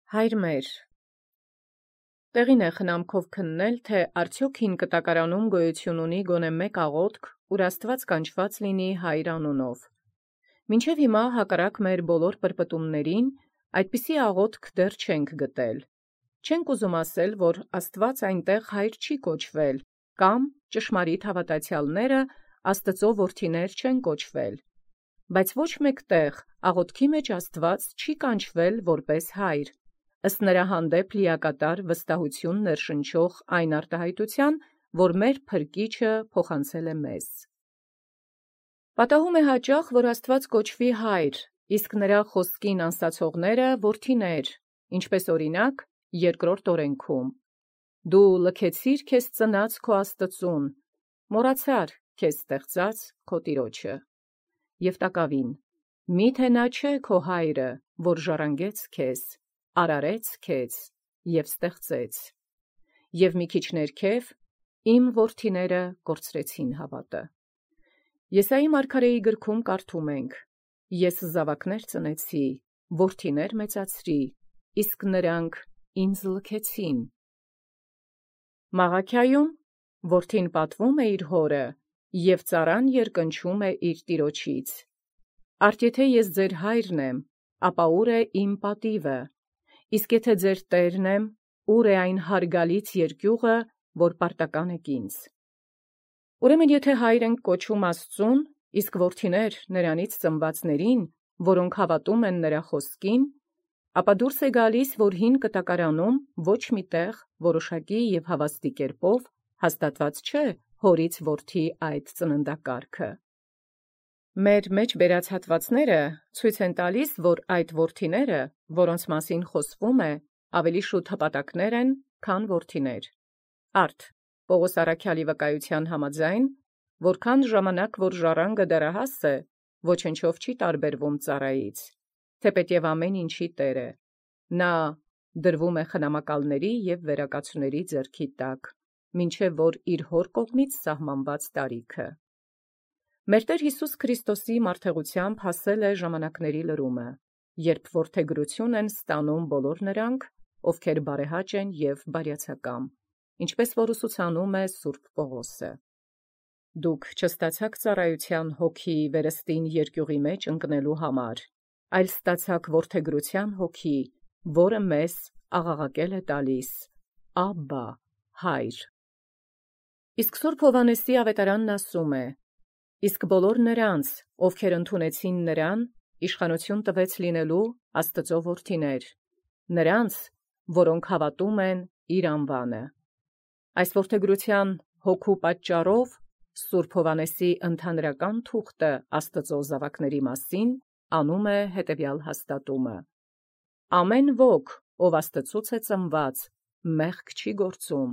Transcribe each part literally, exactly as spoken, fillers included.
Հայր մեր, տեղին է խնամքով քննել, թե արդյոք հին կտակարանում գոյություն ունի գոնե մեկ աղոթք, ուր Աստված կանչված լինի Հայր անունով։ Մինչև հիմա հակառակ մեր բոլոր պրպտումներին, այդպիսի աղոթք դեռ չենք գտել։ Չենք ուզում ասել, որ Աստված այնտեղ Հայր չի կոչվել, կամ ճշմարիտ հավատացյալները Աստծո որդիներ չեն կոչվել։ Բայց ոչ մեկ տեղ աղոթքի մեջ Աստված չի կանչվել որպես Հայր, ըստ նրա հանդեպ լիակատար վստահություն ներշնչող այն արտահայտության, որ մեր Փրկիչը փոխանցել է մեզ։ Պատահում է հաճախ, որ Աստված կոչվի Հայր, իսկ նրա խոսքին անսացողները որդիներ, ինչպես օրինակ երկրորդ օրենքում. «Դու լքեցիր քեզ ծնած քո Աստծուն, մոռացար քեզ ստեղծած քո Տիրոջը»։ Եւ տակավին. «Միթե նա չէ քո Հայրը, որ ժառանգեց քեզ, արարեց քեզ և ստեղծեց»։ Եվ մի քիչ ներքև. «Իմ որդիները կորցրեցին հավատը»։ Եսայի մարգարեի գրքում կարդում ենք. «Ես զավակներ ծնեցի, որդիներ մեծացրի, իսկ նրանք ինձ լքեցին»։ Մաղաքիայում որդին պատվում է իր հորը, և ծառան երկնչում է իր տիրոջից։ Արդ եթե ես ձեր հայրն եմ, ապա ուր է իմ պատիվը, իսկ եթե ձեր տերն եմ, ուր է այն հարգալից երկյուղը, որ պարտական եք ինձ։ Ուրեմն եթե հայր ենք կոչում Աստծուն, իսկ որդիներ նրանից ծնվածներին, որոնք հավատում են նրա խոսքին, ապա դուրս է գալիս, որ հին կտակարանում ոչ մի տեղ որոշակի և հավաստի կերպով հաստատված չէ հորից որդի այդ ծննդակարգը։ Մեր մեջ բերած հատվածները ցույց են տալիս, որ այդ որդիները, որոնց մասին խոսվում է, ավելի շուտ հպատակներ են, քան որդիներ։ Արդ Պողոս առաքյալի վկայության համաձայն, որքան ժամանակ որ ժառանգը դեռահաս է, ոչնչով չի տարբերվում ծառայից, թեպետև ամեն ինչի տեր է, նա դրվում է խնամակալների և վերակացուների ձեռքի տակ, մինչև որ իր հոր կողմից սահմանված տարիքը։ Մեր Տեր Հիսուս Քրիստոսի մարդեղությամբ հասել է ժամանակների լրումը, երբ որդեգրություն են ստանում բոլոր նրանք, ովքեր բարեհաճ են և բարյացակամ, ինչպես որ ուսուցանում է Սուրբ Պողոսը։ Դուք չստացաք ծառայության հոգի վերստին երկյուղի մեջ ընկնելու համար, այլ ստացաք որդեգրության հոգի, որը մեզ աղաղակել է տալիս. «Աբբա, Հայր»։ Իսկ Սուրբ Հովհաննեսի ավետարանն ասում է. «Իսկ բոլոր նրանց, ովքեր ընդունեցին նրան, իշխանություն տվեց լինելու Աստծո որդիներ, նրանց, որոնք հավատում են իր անվանը»։ Այս որդեգրության հոգու պատճառով Սուրբ Հովհաննեսի ընդհանրական թուղթը Աստծո զավակների մասին անում է հետևյալ հաստատումը. «Ամեն ոք, ով Աստծուց է ծնված, մեղք չի գործում,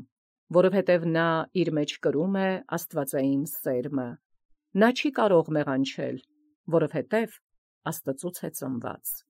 որովհետև նա իր մեջ կրում է աստվածային սերմը. նա չի կարող մեղանչել, որովհետև Աստծուց է ծնված»։